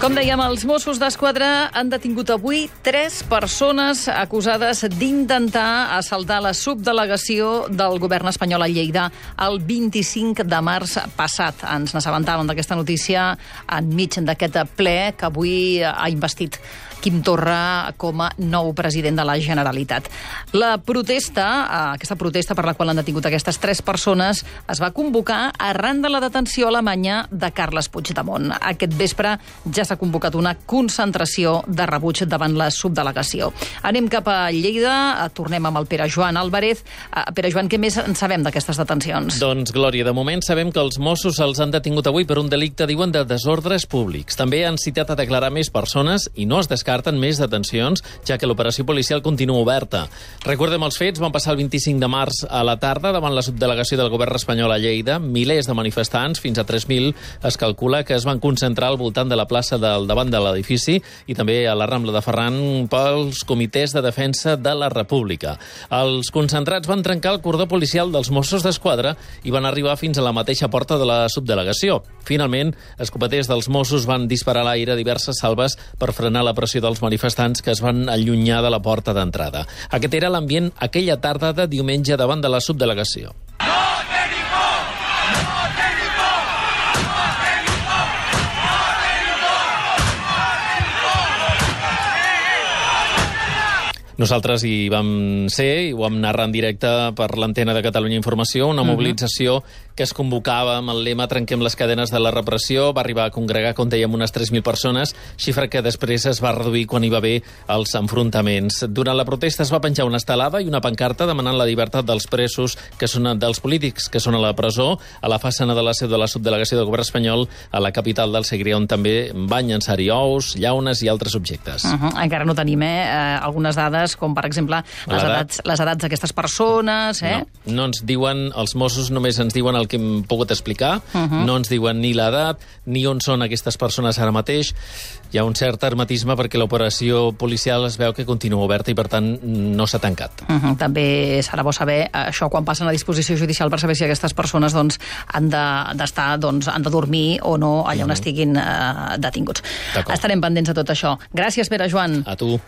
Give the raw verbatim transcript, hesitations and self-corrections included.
Com dèiem, els Mossos d'Esquadra han detingut avui tres persones acusades d'intentar assaltar la subdelegació del govern espanyol a Lleida el vint-i-cinc de març passat. Ens n'assabentàvem d'aquesta notícia enmig d'aquest ple que avui ha investit Quim Torra com a nou president de la Generalitat. La protesta, aquesta protesta per la qual han detingut aquestes tres persones, es va convocar arran de la detenció alemanya de Carles Puigdemont. Aquest vespre ja s'ha convocat una concentració de rebuig davant la subdelegació. Anem cap a Lleida, tornem amb el Pere Joan Álvarez. Pere Joan, què més en sabem d'aquestes detencions? Doncs, Glòria, de moment sabem que els Mossos els han detingut avui per un delicte, diuen, de desordres públics. També han citat a declarar més persones i no es descarten més detencions, ja que l'operació policial continua oberta. Recordem els fets, van passar el vint-i-cinc de març a la tarda davant la subdelegació del govern espanyol a Lleida. Milers de manifestants, fins a tres mil, es calcula que es van concentrar al voltant de la plaça del davant de l'edifici i també a la Rambla de Ferran pels comitès de defensa de la República. Els concentrats van trencar el cordó policial dels Mossos d'Esquadra i van arribar fins a la mateixa porta de la subdelegació. Finalment, escopeters dels Mossos van disparar a l'aire diverses salves per frenar la pressió dels manifestants que es van allunyar de la porta d'entrada. Aquest era l'ambient aquella tarda de diumenge davant de la subdelegació. Nosaltres hi vam ser, i ho vam narrar en directe per l'antena de Catalunya Informació, una mobilització que es convocava amb el lema "Trenquem les cadenes de la repressió". Va arribar a congregar, com dèiem, unes tres mil persones, xifra que després es va reduir quan hi va haver els enfrontaments. Durant la protesta es va penjar una estelada i una pancarta demanant la llibertat dels presos, que són dels polítics que són a la presó, a la façana de la seu de la subdelegació del govern espanyol a la capital del Segrià, on també van llançar-hi ous, llaunes i altres objectes. Uh -huh. Encara no tenim eh, algunes dades, com per exemple les edats, les edats d'aquestes persones. Eh? No, no ens diuen, els Mossos només ens diuen el que hem pogut explicar, uh -huh. no ens diuen ni l'edat, ni on són aquestes persones ara mateix. Hi ha un cert hermetisme perquè l'operació policial es veu que continua oberta i, per tant, no s'ha tancat. Uh -huh. També serà bo saber això quan passen a disposició judicial per saber si aquestes persones doncs, han d'estar, de, doncs, han de dormir o no allà on uh -huh. estiguin uh, detinguts. Estarem pendents de tot això. Gràcies, Pere Joan. A tu.